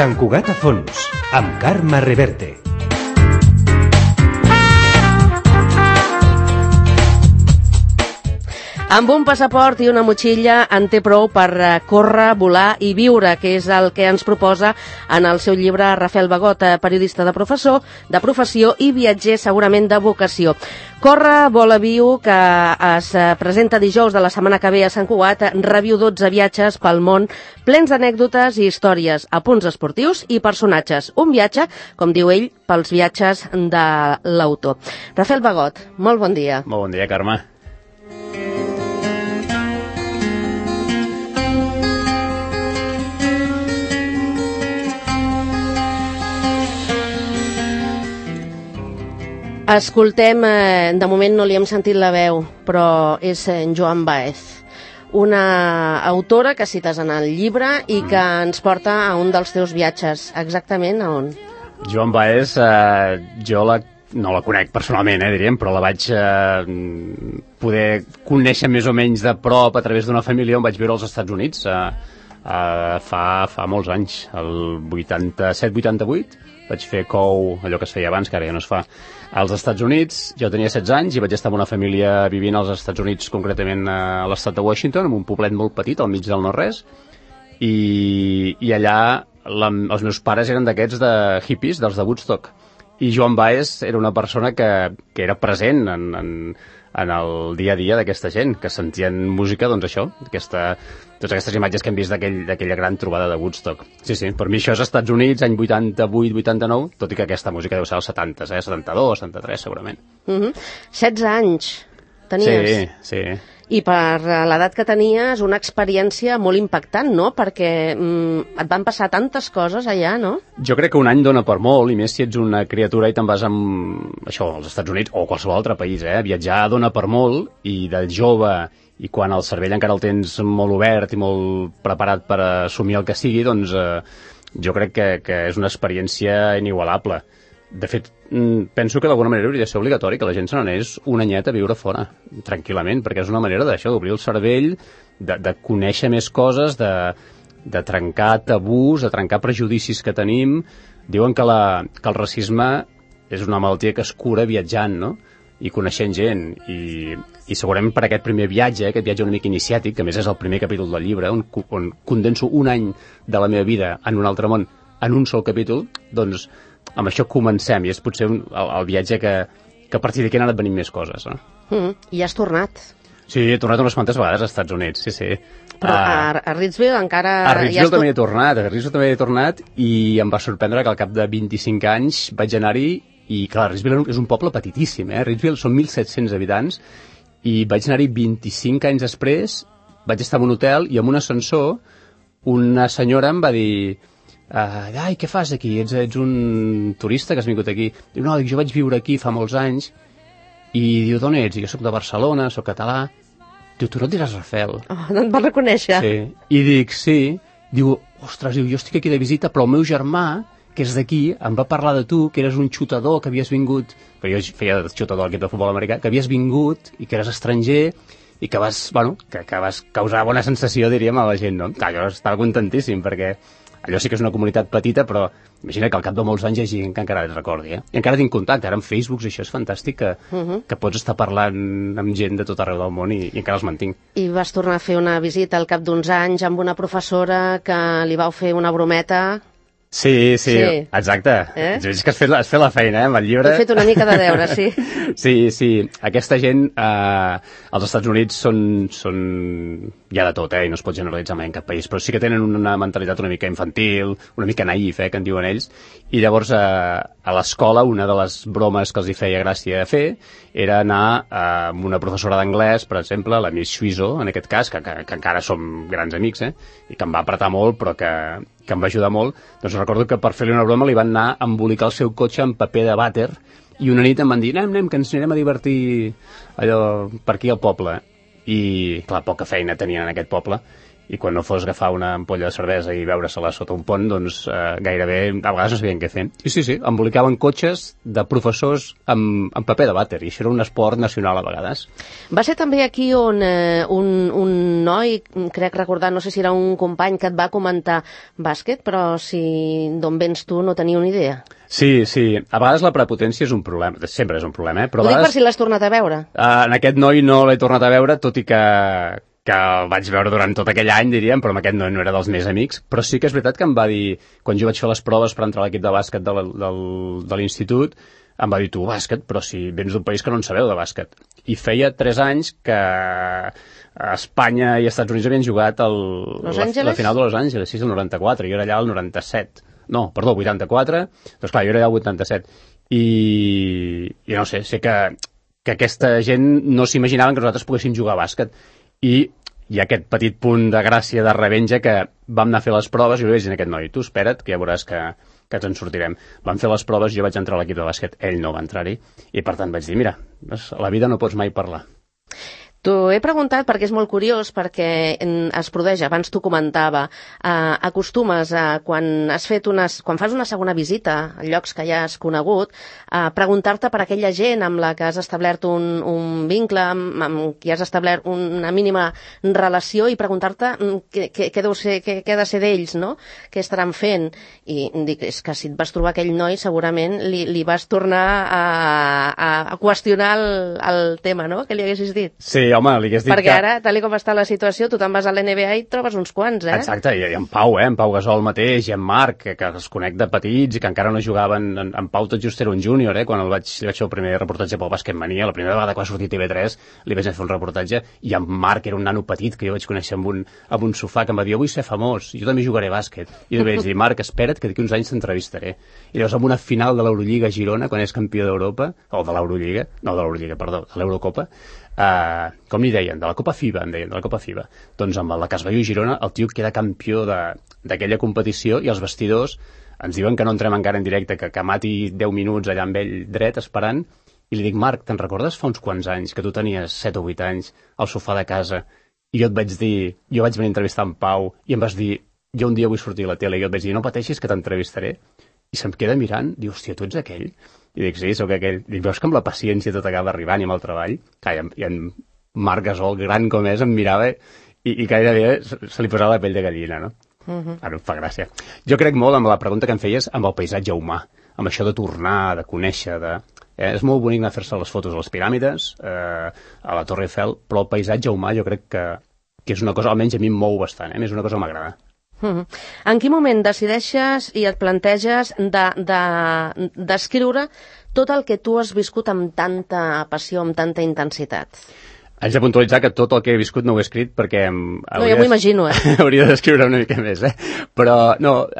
Sant Cugat a fons, amb Carme Reverte. Amb un passaport i una motxilla en té prou per córrer, volar i viure, que és el que ens proposa en el seu llibre Rafael Bagot, periodista de professió i viatger segurament de vocació. Corre, vola, viu, que es presenta dijous de la setmana que ve a Sant Cugat, reviu 12 viatges pel món, plens d'anècdotes i històries, apunts esportius i personatges. Un viatge, com diu ell, pels viatges de l'autor. Rafael Bagot, molt bon dia. Molt bon dia, Carme. Escoltem, de moment no li hem sentit la veu, però és en Joan Baez, una autora que cites en el llibre i que ens porta a un dels teus viatges. Exactament a on? Joan Baez, jo no la conec personalment, diríem, però la vaig poder conèixer més o menys de prop a través d'una família on vaig viure als Estats Units fa molts anys, el 87-88. Vaig fer cou, allò que es feia abans, que ara ja no es fa, als Estats Units. Jo tenia 16 anys i vaig estar amb una família vivint als Estats Units, concretament a l'estat de Washington, en un poblet molt petit, al mig del no-res, i allà els meus pares eren d'aquests de hippies, dels de Woodstock, i Joan Baez era una persona que era present en el dia a dia d'aquesta gent, que sentien música, doncs això, totes aquestes imatges que hem vist d'aquella gran trobada de Woodstock. Sí, per mi això és Estats Units, any 88-89, tot i que aquesta música deu ser als 70, 72, 73, segurament. 16 anys tenies? Sí. I per l'edat que tenies, una experiència molt impactant, no? Perquè et van passar tantes coses allà, no? Jo crec que un any dona per molt, i més si ets una criatura i te'n vas als Estats Units o qualsevol altre país, Viatjar dona per molt, i de jove, i quan el cervell encara el tens molt obert i molt preparat per assumir el que sigui, doncs jo crec que és una experiència inigualable. De fet, penso que d'alguna manera hauria de ser obligatori que la gent se n'anés un anyet a viure fora, tranquil·lament, perquè és una manera d'obrir el cervell, de conèixer més coses, de trencar tabús, de trencar prejudicis que tenim. Diuen que el racisme és una malaltia que es cura viatjant, no?, i coneixent gent, i segurament per aquest primer viatge, aquest viatge una mica iniciàtic, que a més és el primer capítol del llibre, on condenso un any de la meva vida en un altre món en un sol capítol, doncs amb això comencem, i és potser el viatge que a partir d'aquí han anat venint més coses, no? I has tornat? Sí, he tornat unes quantes vegades als Estats Units, sí. Però a Ritzville encara... A Ritzville també he tornat, i em va sorprendre que al cap de 25 anys vaig anar-hi, i clar, Ritzville és un poble petitíssim, Ritzville són 1.700 habitants, i vaig anar-hi 25 anys després, vaig estar en un hotel, i amb un ascensor, una senyora em va dir... ai, què fas aquí? Ets un turista que has vingut aquí? Diu, no, jo vaig viure aquí fa molts anys. I diu, d'on ets? I jo soc de Barcelona, soc català. Diu, tu no et diràs Rafael? Oh, no et vas reconèixer? Sí. I dic, sí. Diu, ostres, jo estic aquí de visita, però el meu germà, que és d'aquí, em va parlar de tu, que eres un xutador, que havies vingut... Perquè jo feia de xutador al equip de futbol americà, que havies vingut i que eres estranger i que vas causar bona sensació, diríem, a la gent, no? Clar, jo estava contentíssim, perquè... Allò sí que és una comunitat petita, però imagina que al cap de molts anys hi ha gent que encara et recordi, I encara tinc contacte, ara amb Facebook, això és fantàstic, que pots estar parlant amb gent de tot arreu del món i encara els mantinc. I vas tornar a fer una visita al cap d'uns anys amb una professora que li vau fer una brometa... Sí, exacte. Veig que has fet la feina, amb el llibre. He fet una mica de deure, sí. Sí. Aquesta gent, als Estats Units són hi ha de tot, i no es pot generalitzar mai en cap país, però sí que tenen una mentalitat una mica infantil, una mica naïf, que en diuen ells, i llavors a l'escola una de les bromes que els hi feia gràcia fer era anar amb una professora d'anglès, per exemple, la Miss Suizo, en aquest cas, que encara som grans amics, i que em va apretar molt, però que em va ajudar molt. Doncs recordo que per fer-li una broma li van anar a embolicar el seu cotxe amb paper de vàter, i una nit em van dir, anem, que ens anirem a divertir allò per aquí al poble. I, clar, poca feina tenien en aquest poble, i quan no fos agafar una ampolla de cervesa i veure-se-la sota un pont, doncs gairebé a vegades no sabien què fer. I sí, embolicaven cotxes de professors amb paper de vàter, i això era un esport nacional a vegades. Va ser també aquí on un noi, crec recordar, no sé si era un company que et va comentar bàsquet, però si d'on vens tu no tenia una idea. Sí, a vegades la prepotència és un problema, sempre és un problema, però Ho dic per si l'has tornat a veure. En aquest noi no l'he tornat a veure, tot i que el vaig veure durant tot aquell any, diríem, però amb aquest no era dels més amics. Però sí que és veritat que em va dir, quan jo vaig fer les proves per entrar a l'equip de bàsquet de l'institut, em va dir, tu, bàsquet, però si vens d'un país que no en sabeu de bàsquet. I feia 3 anys que Espanya i Estats Units havien jugat la final de Los Angeles, sí, el 94, jo era allà el 97. No, perdó, 84, doncs clar, jo era allà el 87. I no sé que aquesta gent no s'imaginaven que nosaltres poguéssim jugar a bàsquet. I hi ha aquest petit punt de gràcia, de revenja, que vam anar a fer les proves i li vaig dir a aquest noi, tu espera't, que ja veuràs que ens en sortirem. Vam fer les proves, jo vaig entrar a l'equip de bàsquet, ell no va entrar-hi, i per tant vaig dir, mira, a la vida no pots mai parlar. T'ho he preguntat perquè és molt curiós, perquè es produeix, abans t'ho comentava, acostumes quan fas una segona visita a llocs que ja has conegut, a preguntar-te per aquella gent amb la que has establert un vincle, amb qui has establert una mínima relació, i preguntar-te què ha de ser d'ells, no? Què estaran fent? I dic, és que si et vas trobar aquell noi, segurament li vas tornar a qüestionar el tema, no?, que li haguessis dit. Sí, home, li hagués dit perquè ara, tal com està la situació, tu te'n vas a l'NBA i trobes uns quants, eh? Exacte, i en Pau, en Pau Gasol mateix, i en Marc, que els conec de petits i que encara no jugaven. En Pau tot just era un júnior, quan li vaig fer el primer reportatge pel Bàsquet Mania, la primera vegada que va sortir TV3, li vaig fer un reportatge, i en Marc era un nano petit que jo vaig conèixer amb un sofà, que em va dir, jo vull ser famós, jo també jugaré bàsquet. I jo vaig dir, Marc, espera't, que d'aquí uns anys t'entrevistaré. I llavors, en una final de l'Eurolliga a Girona, quan és campió d'Europa, o de l'Eurolliga, no de l'Eurolliga, perdó, de l'Eurocopa, com li deien, de la Copa FIBA, em deien, de la Copa FIBA. Doncs amb la Casballó i Girona, el tio queda campió d'aquella competició, i els vestidors ens diuen que no entrem encara en directe, que mati 10 minuts allà amb ell dret, esperant, i li dic, Marc, te'n recordes fa uns quants anys, que tu tenies 7 o 8 anys, al sofà de casa, i jo et vaig dir, jo vaig venir a entrevistar en Pau, i em vas dir, jo un dia vull sortir a la tele, i jo et vaig dir, no pateixis que t'entrevistaré, i se'm queda mirant, diu, hòstia, tu ets aquell? I dic, sí, sóc aquell. Dic, veus que amb la paciència tot acaba arribant i amb el treball? I en Marc Gasol, gran com és, em mirava i gairebé se li posava la pell de gallina, no? Ara em fa gràcia. Jo crec molt amb la pregunta que em feies amb el paisatge humà, amb això de tornar, de conèixer, és molt bonic anar a fer-se les fotos a les piràmides, a la Torre Eiffel, però el paisatge humà jo crec que és una cosa, almenys a mi em mou bastant, és una cosa que m'agrada. En quin moment decideixes i et planteges d'escriure tot el que tu has viscut amb tanta passió, amb tanta intensitat? Haig de puntualitzar que tot el que he viscut no ho he escrit perquè... No, jo m'ho imagino, hauria d'escriure una mica més, Però, no,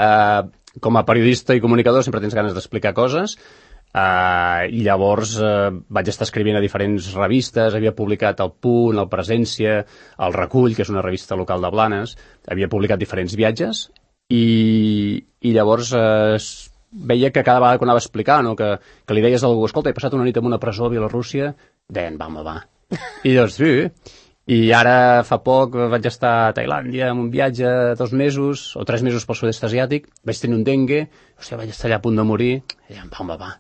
com a periodista i comunicador sempre tens ganes d'explicar coses, i llavors vaig estar escrivint a diferents revistes, havia publicat El Punt, El Presència, El Recull, que és una revista local de Blanes, havia publicat diferents viatges, i llavors veia que cada vegada que anava a explicar, no, que li deies a algú, escolta, he passat una nit en una presó a Bielorússia, deien, va. I doncs sí, i ara fa poc vaig estar a Tailàndia en un viatge 2 mesos o 3 mesos pel sud-est asiàtic, vaig tenir un dengue, vaig estar allà a punt de morir, i deien, va.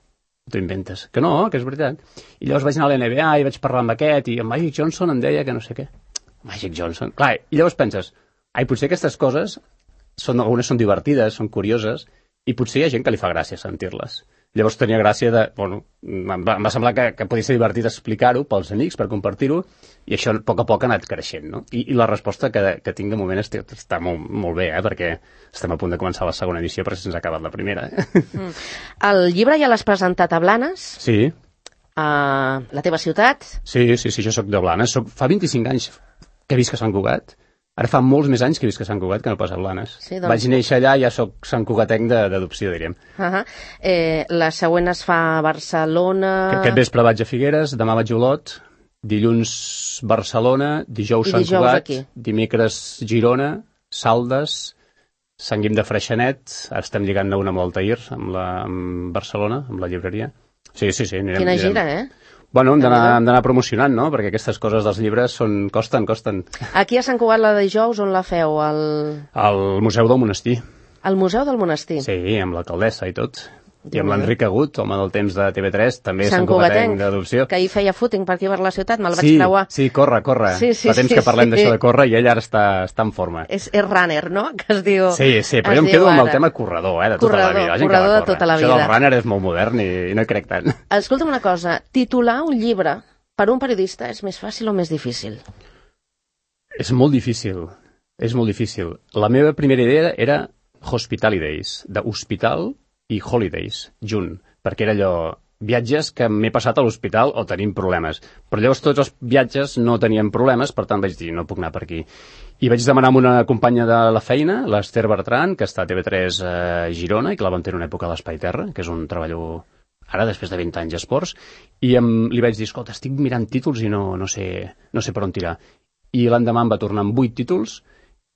T'ho inventes. Que no, que és veritat. I llavors vaig anar a l'NBA i vaig parlar amb aquest, i en Magic Johnson em deia que no sé què. Magic Johnson. Clar, i llavors penses, potser aquestes coses, algunes són divertides, són curioses, i potser hi ha gent que li fa gràcia sentir-les. Llavors tenia gràcia em va semblar que podia ser divertit explicar-ho pels amics, per compartir-ho, i això a poc ha anat creixent, no? I la resposta que tinc de moment està molt bé, perquè estem a punt de començar la segona edició, però se'ns ha acabat la primera. El llibre ja l'has presentat a Blanes? Sí. A la teva ciutat? Sí, jo soc de Blanes. Fa 25 anys que visc a Sant Cugat. Ara fa molts més anys que visc a Sant Cugat que no pas a Blanes. Sí, doncs... Vaig néixer allà i ja soc Sant Cugatenc d'adopció, diríem. La següent es fa a Barcelona... Aquest vespre vaig a Figueres, demà vaig a Olot, dilluns Barcelona, dijous Sant Cugat, aquí. Dimecres Girona, Saldes, Sant Guim de Freixenet, ara estem lligant una amb l'Altair, amb Barcelona, amb la llibreria. Sí, anirem. Quina gira, Bueno, hem d'anar promocionant, no? Perquè aquestes coses dels llibres costen. Aquí a Sant Cugat la de dijous, on la feu? Al Museu del Monestir. Al Museu del Monestir? Sí, amb l'alcaldessa i tot. I amb l'Enric Agut, home del temps de TV3, també Sant Cugatenc d'adopció. Que ahir feia footing per aquí per la ciutat, me'l vaig creuar. Sí, corre. Sí, Fa temps que parlem d'això de córrer i ell ara està en forma. És runner, no?, que es diu. Sí, però jo em quedo amb el tema corredor, de tota la vida. Corredor de tota la vida. Això del runner és molt modern i no hi crec tant. Escolta'm una cosa, titular un llibre per un periodista és més fàcil o més difícil? És molt difícil. La meva primera idea era Hospitalidays, d'hospital i holidays, junt, perquè era allò, viatges que m'he passat a l'hospital o tenim problemes. Però llavors tots els viatges no tenien problemes, per tant vaig dir, no puc anar per aquí. I vaig demanar amb una companya de la feina, l'Ester Bertran, que està a TV3 a Girona i que la vam tenir una època a l'Espai Terra, que és un treballo ara, després de 20 anys d'esports, i li vaig dir, escolta, estic mirant títols i no sé per on tirar. I l'endemà em va tornar amb 8 títols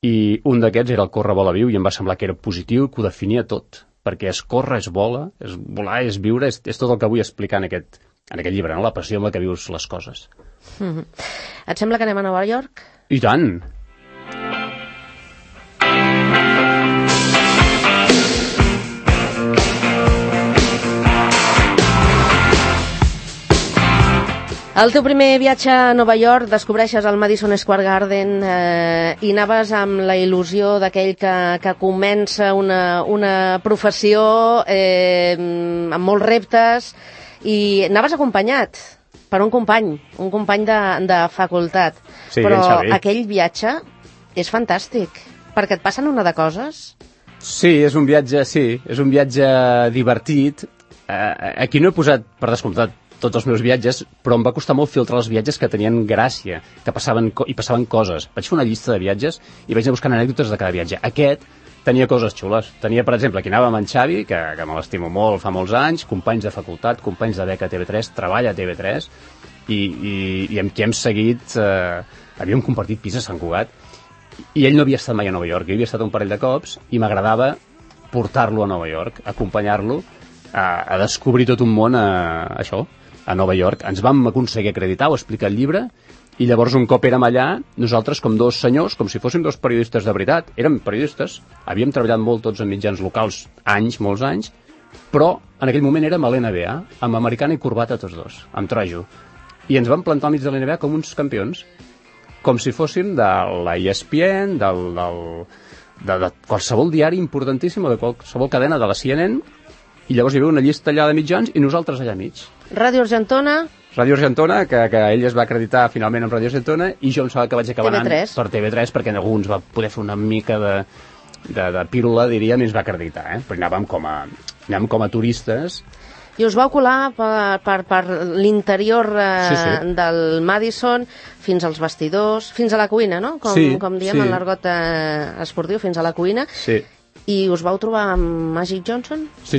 i un d'aquests era el Corre, vola, viu, i em va semblar que era positiu i que ho definia tot, perquè és córrer, és volar, és viure, és tot el que vull explicar en aquest llibre, no? La passió amb la que vius les coses. Et sembla que anem a Nova York? I tant! El teu primer viatge a Nova York, descobreixes el Madison Square Garden i anaves amb la il·lusió d'aquell que comença una professió amb molts reptes i anaves acompanyat per un company de facultat. Sí, però aquell viatge és fantàstic, perquè et passen una de coses. Sí, és un viatge divertit. Aquí no he posat, per descomptat, tots els meus viatges, però em va costar molt filtrar els viatges que tenien gràcia, que passaven coses. Vaig fer una llista de viatges i vaig anar buscant anècdotes de cada viatge. Aquest tenia coses xules. Tenia, per exemple, aquí anava amb en Xavi, que me l'estimo molt, fa molts anys, companys de facultat, companys de beca a TV3, treballa a TV3, i amb qui hem seguit, havíem compartit pis a Sant Cugat, i ell no havia estat mai a Nova York, jo havia estat un parell de cops, i m'agradava portar-lo a Nova York, acompanyar-lo a descobrir tot un món a Nova York. Ens vam aconseguir acreditar o explicar el llibre i llavors un cop érem allà, nosaltres com dos senyors, com si fóssim dos periodistes de veritat, érem periodistes, havíem treballat molt tots en mitjans locals, molts anys, però en aquell moment érem a l'NBA, amb americana i corbata tots dos, amb trajo. I ens vam plantar al mig de l'NBA com uns campions, com si fóssim de la ESPN, de qualsevol diari importantíssim o de qualsevol cadena de la CNN, i llavors hi havia una llista allà de mitjans i nosaltres allà mig. Ràdio Argentona, que ell es va acreditar finalment amb Ràdio Argentona, i jo em sembla que vaig acabar anant per TV3, perquè en alguns va poder fer una mica de pílula, diríem, i ens va acreditar, però anàvem com a turistes. I us vau colar per l'interior del Madison fins als vestidors, fins a la cuina, no? Com diem en l'argot esportiu, fins a la cuina. Sí. I us vau trobar amb Magic Johnson? Sí.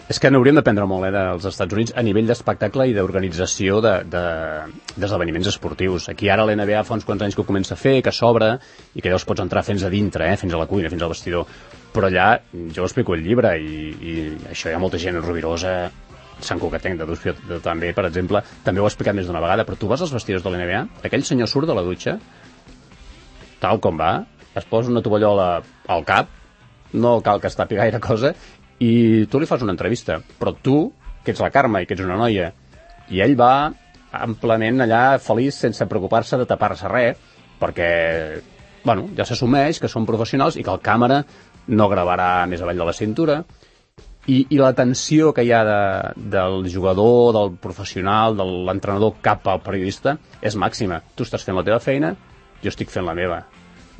És que n'hauríem d'aprendre molt dels Estats Units a nivell d'espectacle i d'organització d'esdeveniments esportius. Aquí ara l'NBA fa uns quants anys que ho comença a fer, que s'obre, i que llavors pots entrar fins a dintre, fins a la cuina, fins al vestidor. Però allà, jo ho explico al llibre, i això hi ha molta gent rubirosa, Sant Cugatenc també, per exemple, també ho he explicat més d'una vegada, però tu vas als vestidors de l'NBA, aquell senyor surt de la dutxa, tal com va, es posa una tovallola al cap, no cal que es tapi gaire cosa, i tu li fas una entrevista, però tu, que ets la Carme i que ets una noia, i ell va amplament allà feliç sense preocupar-se de tapar-se res, perquè ja s'assumeix que són professionals i que el càmera no gravarà més avall de la cintura, i la tensió que hi ha del jugador, del professional, de l'entrenador cap al periodista és màxima. Tu estàs fent la teva feina, jo estic fent la meva.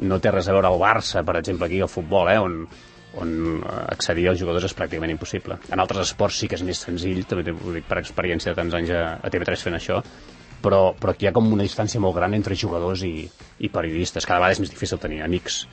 No té res a veure el Barça, per exemple, aquí al futbol, on accedir als jugadors és pràcticament impossible. En altres esports sí que és més senzill, també ho dic per experiència de tants anys a TV3 fent això, però aquí hi ha com una distància molt gran entre jugadors i periodistes. Cada vegada és més difícil tenir amics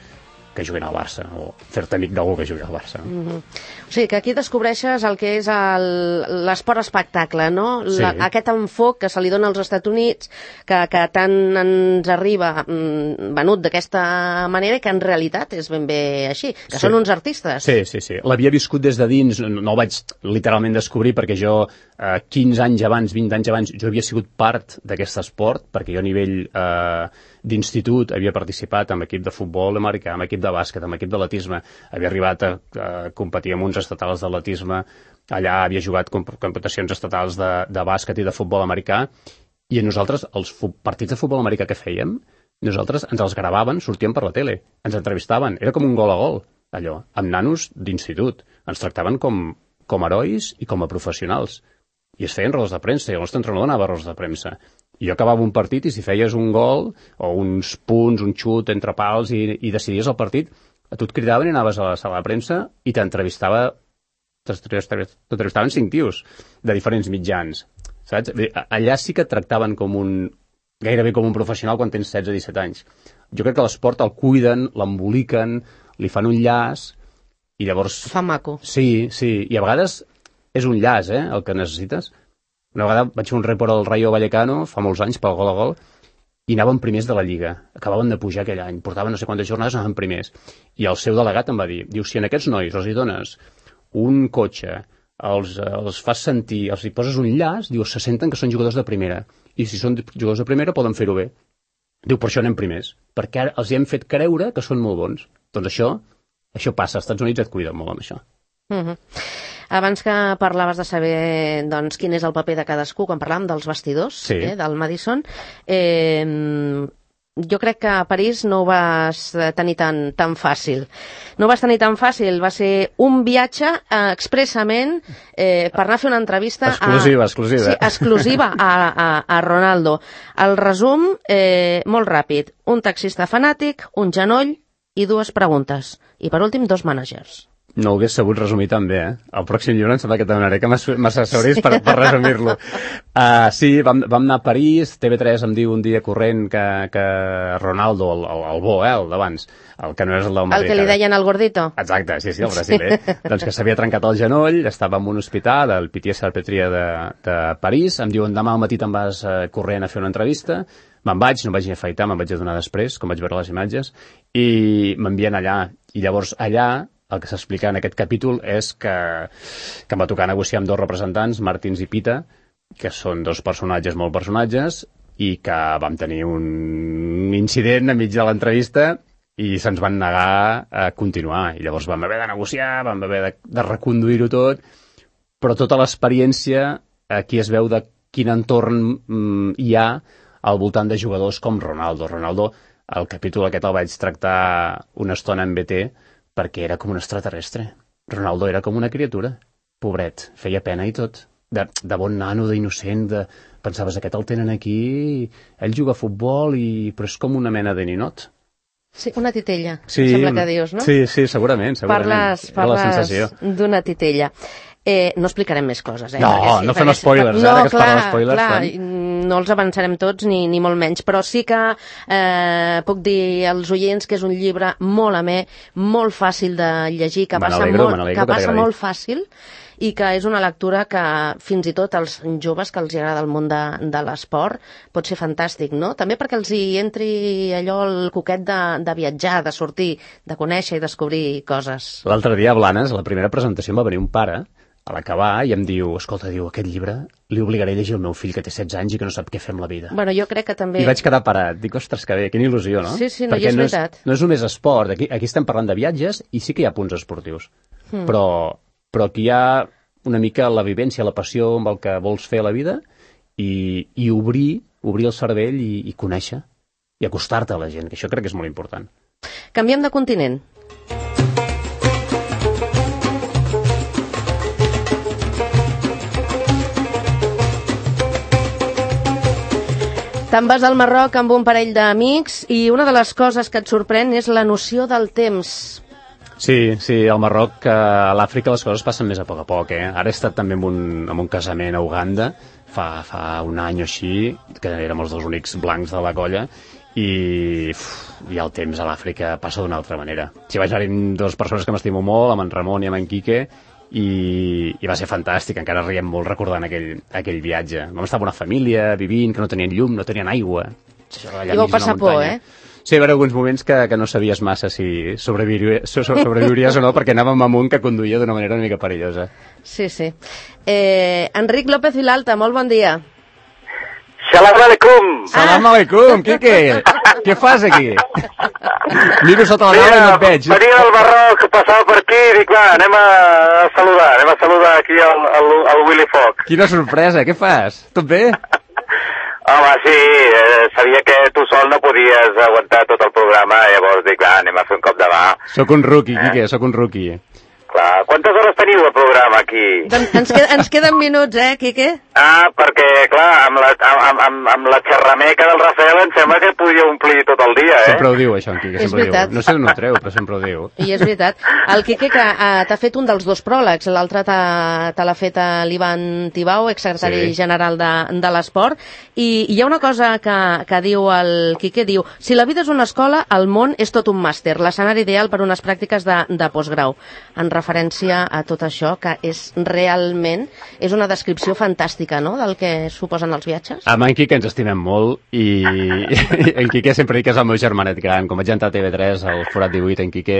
que juguin al Barça, o fer-te amic d'algú que jugui al Barça. O sigui, que aquí descobreixes el que és l'esport espectacle, no? Sí. Aquest enfoc que se li dona als Estats Units, que tant ens arriba venut d'aquesta manera i que en realitat és ben bé així, que són uns artistes. Sí. L'havia viscut des de dins, no el vaig literalment descobrir perquè jo 15 anys abans, 20 anys abans, jo havia sigut part d'aquest esport, perquè jo a nivell d'institut havia participat en equip de futbol americà, en equip de bàsquet, en equip d'atletisme, havia arribat a competir amb uns estatals d'atletisme, allà havia jugat competicions estatals de bàsquet i de futbol americà, i a nosaltres, els partits de futbol americà que fèiem, nosaltres ens els gravaven, sortíem per la tele, ens entrevistaven, era com un gol a gol, allò, amb nanos d'institut, ens tractaven com herois i com a professionals, i es feien rodes de premsa, i el nostre entrenador anava a rodes de premsa, i jo acabava un partit i si feies un gol o uns punts, un xut entre pals i decidies el partit, a tu et cridaven i anaves a la sala de premsa i t'entrevistaven 5 tios de diferents mitjans, saps? Allà sí que et tractaven gairebé com un professional quan tens 16-17 anys. Jo crec que l'esport el cuiden, l'emboliquen, li fan un llaç i llavors... Fa maco. Sí, i a vegades és un llaç, el que necessites. Una vegada vaig fer un report al Rayo Vallecano, fa molts anys, pel gol a gol, i anàvem primers de la Lliga. Acabaven de pujar aquell any, portaven no sé quantes jornades, anaven primers. I el seu delegat em va dir, si a aquests nois els hi dones un cotxe, els fas sentir, els hi poses un llaç, se senten que són jugadors de primera. I si són jugadors de primera poden fer-ho bé. Per això anem primers, perquè ara els hi hem fet creure que són molt bons. Doncs això passa, als Estats Units et cuiden molt amb això. Abans que parlaves de saber doncs, quin és el paper de cadascú, quan parlàvem dels vestidors del Madison, jo crec que a París no ho vas tenir tan fàcil. No ho vas tenir tan fàcil, va ser un viatge expressament per anar a fer una entrevista exclusiva a Ronaldo. El resum, molt ràpid, un taxista fanàtic, un genoll i 2 preguntes. I per últim, 2 mànagers. No ho hagués sabut resumir tan bé, El pròxim llibre em sembla que te donaré que m'assessoris per resumir-lo. Sí, vam anar a París, TV3 em diu un dia corrent que Ronaldo, el bo, el d'abans, el que no és el del Madrid. El que li deien el gordito. Exacte, sí, el brasiler. Doncs que s'havia trencat el genoll, estava en un hospital, al Pitié-Salpêtrière de París, em diuen demà al matí te'n vas corrent a fer una entrevista, me'n vaig, no em vaig ni afaitar, me'n vaig adonar després, com vaig veure les imatges, i m'envien allà. I llavors allà el que s'explica en aquest capítol és que em va tocar negociar amb 2 representants, Martins i Pita, que són 2 personatges molt personatges, i que vam tenir un incident enmig de l'entrevista i se'ns van negar a continuar. I llavors vam haver de negociar, vam haver de reconduir-ho tot, però tota l'experiència aquí es veu de quin entorn hi ha al voltant de jugadors com Ronaldo. Ronaldo, el capítol aquest el vaig tractar una estona en BT, perquè era com un extraterrestre. Ronaldo era com una criatura. Pobret, feia pena i tot. De bon nano, d'innocent, pensaves, aquest el tenen aquí, ell juga a futbol, però és com una mena de ninot. Sí, una titella, sembla que dius, no? Sí, segurament. Parles d'una titella. No explicarem més coses, No fem spoilers, ara que es parla d'espoilers. Clar, no els avançarem tots, ni molt menys, però sí que puc dir als oients que és un llibre molt amè, molt fàcil de llegir, que passa molt fàcil, i que és una lectura que fins i tot als joves que els agrada el món de l'esport pot ser fantàstic, no? També perquè els hi entri allò el coquet de viatjar, de sortir, de conèixer i descobrir coses. L'altre dia a Blanes, a la primera presentació, em va venir un pare a l'acabar i em diu, escolta, aquest llibre li obligaré a llegir el meu fill que té 16 anys i que no sap què fer amb la vida. Bueno, jo crec que també... I vaig quedar parat. Dic, ostres, que bé, quina il·lusió, no? Sí, no, i és veritat. No és només esport. Aquí estem parlant de viatges i sí que hi ha punts esportius. Però aquí hi ha una mica la vivència, la passió amb el que vols fer a la vida i obrir el cervell i conèixer i acostar-te a la gent, que això crec que és molt important. Canviem de continent. Te'n vas al Marroc amb un parell d'amics i una de les coses que et sorprèn és la noció del temps. Sí, al Marroc, a l'Àfrica les coses passen més a poc, Ara he estat també en un casament a Uganda, fa un any o així, que érem els 2 únics blancs de la colla, i el temps a l'Àfrica passa d'una altra manera. Si vaig anar amb dues persones que m'estimo molt, amb en Ramon i amb en Quique, i va ser fantàstic, encara riem molt recordant aquell viatge. Vam estar amb una família vivint, que no tenien llum, no tenien aigua. I vau passar por, eh? Sí, va haver alguns moments que no sabies massa si sobreviuries o no, perquè anàvem amb un que conduïa d'una manera una mica perillosa. Sí. Enric López Vilalta, molt bon dia. Salam alaikum! Salam alaikum, Quique! Què fas aquí? Miro sota la taula i no et veig. Venia del Barroc, passava per aquí i dic, va, anem a saludar aquí al Willy Fox. Quina sorpresa, què fas? Tot bé? Home, sí, sabia que tu sol no podies aguantar tot el programa, llavors dic, va, anem a fer un cop de mà. Sóc un rookie, Quique, sóc un rookie. Clar, quantes hores teniu de programa aquí? Doncs ens queden minuts, Quique? Perquè, clar, amb la xerrameca del Rafael em sembla que podia omplir tot el dia, Sempre ho diu, això, en Quique, sempre ho diu. No sé d'on ho treu, però sempre ho diu. I és veritat. El Quique que t'ha fet un dels dos pròlegs, l'altre te l'ha fet l'Ivan Tibau, exsecretari general de l'Esport, i hi ha una cosa que diu el Quique, diu, si la vida és una escola, el món és tot un màster, l'escenari ideal per unes pràctiques de postgrau. En referència a tot això, que és realment una descripció fantàstica, no?, del que suposen els viatges. Amb en Quique ens estimem molt i en Quique sempre dic que és el meu germanet gran. Com vaig entrar a TV3, al Forat 18, en Quique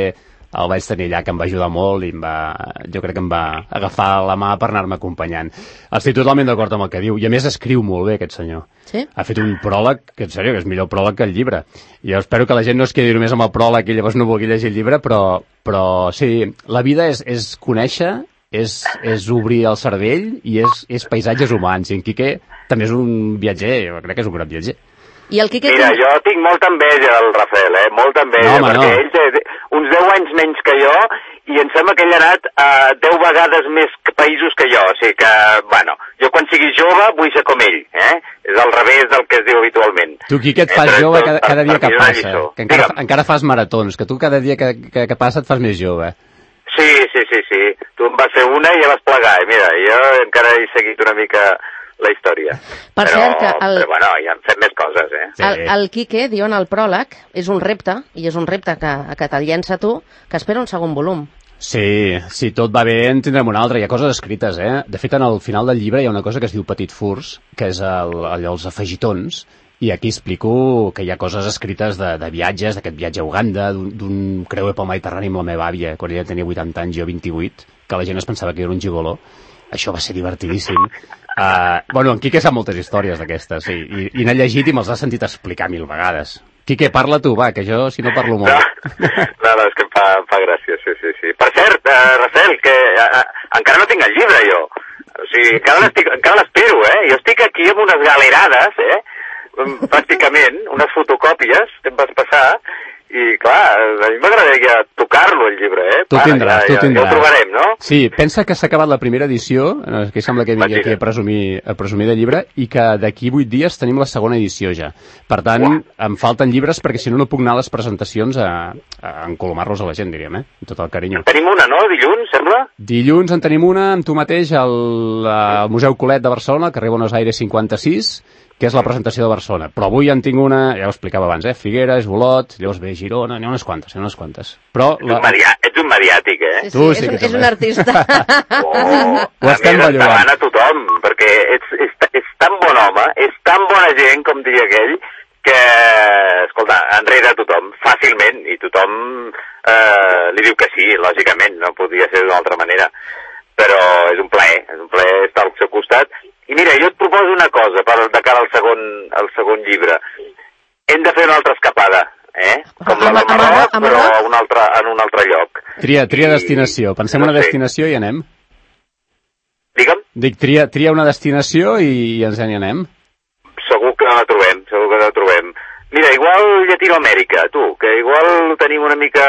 el vaig tenir allà, que em va ajudar molt i jo crec que em va agafar la mà per anar-me acompanyant. Estic totalment d'acord amb el que diu, i a més escriu molt bé aquest senyor. Sí? Ha fet un pròleg, que en sèrio, que és millor pròleg que el llibre. I jo espero que la gent no es quedi només amb el pròleg i llavors no vulgui llegir el llibre, però sí, la vida és conèixer, és obrir el cervell i és paisatges humans. I en Quique també és un viatger, jo crec que és un gran viatger. I el Quique... Mira, jo tinc molta enveja del Rafael, molta enveja, perquè ell té uns 10 anys menys que jo i em sembla que ell ha anat a 10 vegades més països que jo, o sigui que, bueno, jo quan sigui jove vull ser com ell, és al revés del que es diu habitualment. Tu, Quique, et fas jove cada dia que passa, que encara fas maratons, que tu cada dia que passa et fas més jove. Sí, tu em vas fer una i ja vas plegar, i mira, jo encara he seguit una mica la història. Però bueno, ja hem fet més coses, Sí. El Quique diu en el pròleg, és un repte, i és un repte que te'l llença tu, que espera un segon volum. Sí, si tot va bé en tindrem un altre. Hi ha coses escrites, De fet, al final del llibre hi ha una cosa que es diu Petit Furs, que és els afegitons, i aquí explico que hi ha coses escrites de viatges, d'aquest viatge a Uganda, d'un creuer pel Mediterrani amb la meva àvia, quan ella tenia 80 anys, jo 28, que la gent es pensava que era un gigoló. Això va ser divertidíssim. Bueno, en Quique sap moltes històries d'aquestes, sí, i n'ha llegit i me'ls ha sentit explicar 1000 vegades. Quique, parla tu, va, que jo si no parlo molt. No, és que em fa gràcia, sí. Per cert, Rafael, que encara no tinc el llibre, jo. O sigui, encara l'espero, Jo estic aquí amb unes galerades, pràcticament, unes fotocòpies que em vas passar, i clar, a mi m'agradaria tocar-lo, el llibre, Tu tindràs. Ja ho trobarem, no? Sí, pensa que s'ha acabat la primera edició, que sembla que vingui aquí a presumir de llibre, i que d'aquí 8 dies tenim la segona edició ja. Per tant, em falten llibres perquè si no puc anar a les presentacions a encolomar-los a la gent, diríem, amb tot el carinyo. Tenim una, no? Dilluns, sembla? Dilluns en tenim una amb tu mateix al Museu Colet de Barcelona, al carrer Buenos Aires 56, que és la presentació de Barcelona. Però avui en tinc una, ja ho explicava abans, Figueres, Olot, llavors ve Girona, n'hi ha unes quantes. Però ets un mediàtic, Sí, és un artista. Ho estem ballogant. A tothom, perquè és tan bon home, és tan bona gent, com diria aquell, que, escolta, enrere a tothom, fàcilment, i tothom li diu que sí, lògicament, no podria ser d'una altra manera. Però és un plaer estar al seu costat. I mira, jo et proposo una cosa de cara al segon llibre. Hem de fer una altra escapada, com la del Marroc, però en un altre lloc. Tria destinació. Pensem una destinació i anem. Digue'm? Dic, tria una destinació i ens n'hi anem. Segur que la trobem. Mira, igual Llatinoamèrica, tu, que igual tenim una mica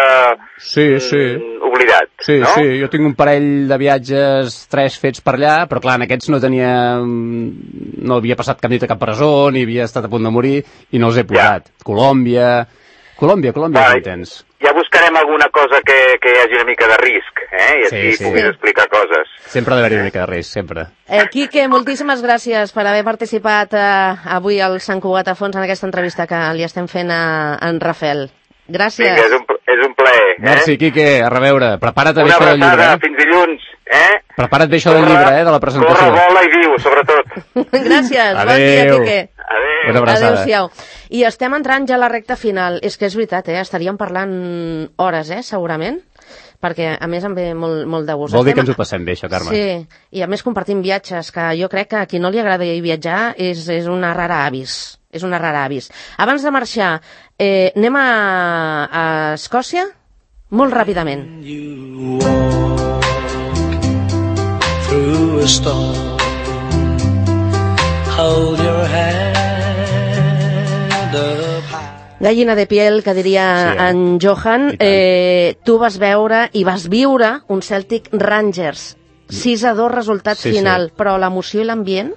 oblidat, no? Sí, jo tinc un parell de viatges, 3 fets per allà, però clar, en aquests no havia passat cap nit a cap presó, ni havia estat a punt de morir, i no els he posat. Colòmbia, Colòmbia, hi tens. Ja buscarem alguna cosa que hi hagi una mica de risc, i així puguis explicar coses. Sempre ha d'haver una mica de risc, sempre. Quique, moltíssimes gràcies per haver participat avui al Sant Cugat a Fons en aquesta entrevista que li estem fent a en Rafel. Gràcies. Vinga, és un plaer. Merci, Quique, a reveure. Prepara't bé això del llibre. Una abraçada, fins dilluns. Prepara't bé això del llibre, de la presentació. Corre, vola i viu, sobretot. Gràcies, bon dia, Quique. Adéu. Adéu-siau. I estem entrant ja a la recta final. És que és veritat, estaríem parlant hores, segurament, perquè a més em ve molt de gust. Vol dir que ens ho passem bé, això, Carme. Sí, i a més compartim viatges, que jo crec que a qui no li agrada viatjar és una rara avis. És una rara avis. Abans de marxar, anem a Escòcia molt ràpidament. Through a storm, hold your hand up high. Gallina de piel, que diria en Johan. Tu vas veure i vas viure un Celtic Rangers. 6-2 resultat final, però l'emoció i l'ambient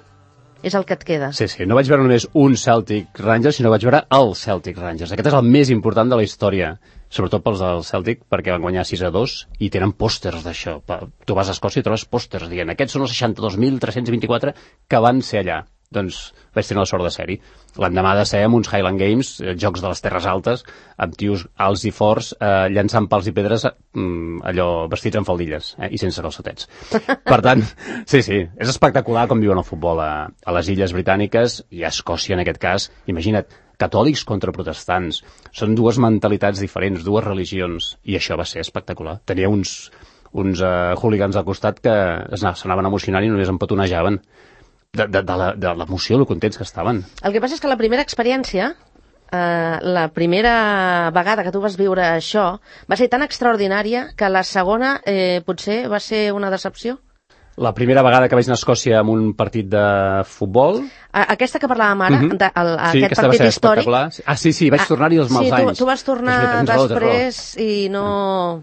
és el que et queda. Sí, no vaig veure només un Celtic Rangers, sinó vaig veure el Celtic Rangers. Aquest és el més important de la història, sobretot pels del Celtic, perquè van guanyar 6-2 i tenen pòsters d'això. Tu vas a Escòcia i trobes pòsters dient aquests són els 62.324 que van ser allà. Doncs vaig tenir la sort de ser-hi. L'endemà de ser amb uns Highland Games, jocs de les Terres Altes, amb tios alts i forts, llançant pals i pedres, allò vestits amb faldilles i sense calçotets. Per tant, sí, és espectacular com viuen el futbol a les Illes Britàniques i a Escòcia en aquest cas. Imagina't, catòlics contra protestants. Són dues mentalitats diferents, dues religions, i això va ser espectacular. Tenia uns hooligans al costat que s'anaven emocionant i només empetonejaven de l'emoció, lo contents que estaven. El que passa és que la primera experiència, la primera vegada que tu vas viure això, va ser tan extraordinària que la segona potser va ser una decepció? La primera vegada que vaig anar a Escòcia amb un partit de futbol... Aquesta que parlàvem ara, aquest partit històric... Sí, vaig tornar-hi els mals anys. Sí, tu vas tornar després i no...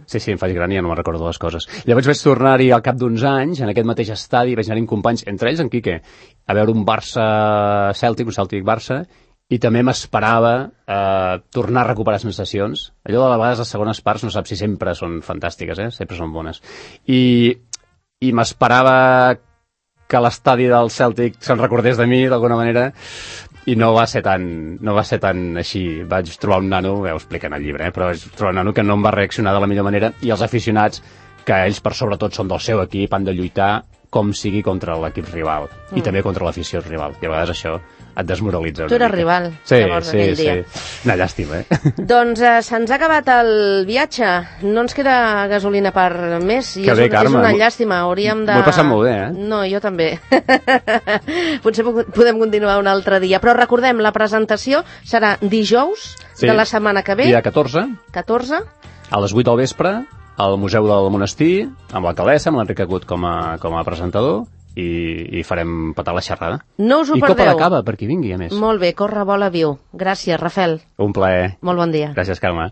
Sí, em faig gran i ja no me'n recordo les coses. Llavors vaig tornar-hi al cap d'uns anys, en aquest mateix estadi, vaig anar-hi amb companys, entre ells en Quique, a veure un Barça-Cèltic, un Cèltic-Barça, i també m'esperava tornar a recuperar sensacions. Allò de vegades les segones parts no saps si sempre són fantàstiques, sempre són bones. I m'esperava que l'estadi del Celtic se'n recordés de mi d'alguna manera i no va ser tan així. Vaig trobar un nano, ho explica en el llibre, però vaig trobar un nano que no em va reaccionar de la millor manera, i els aficionats, que ells per sobretot són del seu equip, han de lluitar com sigui contra l'equip rival i també contra l'afició rival, i a vegades això et desmoralitza. Tu eres rival, llavors, aquell dia. Una llàstima, Doncs se'ns ha acabat el viatge, no ens queda gasolina per més, i és una llàstima, hauríem de... M'ho he passat molt bé, No, jo també. Potser podem continuar un altre dia, però recordem, la presentació serà dijous de la setmana que ve. Dia 14. A les 8 del vespre, al Museu del Monestir, amb l'alcaldessa, amb l'Enric Agut com a presentador, i farem petar la xerrada. No us ho perdeu. I copa de cava, per qui vingui, a més. Molt bé, corre, vola, viu. Gràcies, Rafel. Un plaer. Molt bon dia. Gràcies, Carme.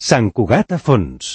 Sant Cugat a Fons.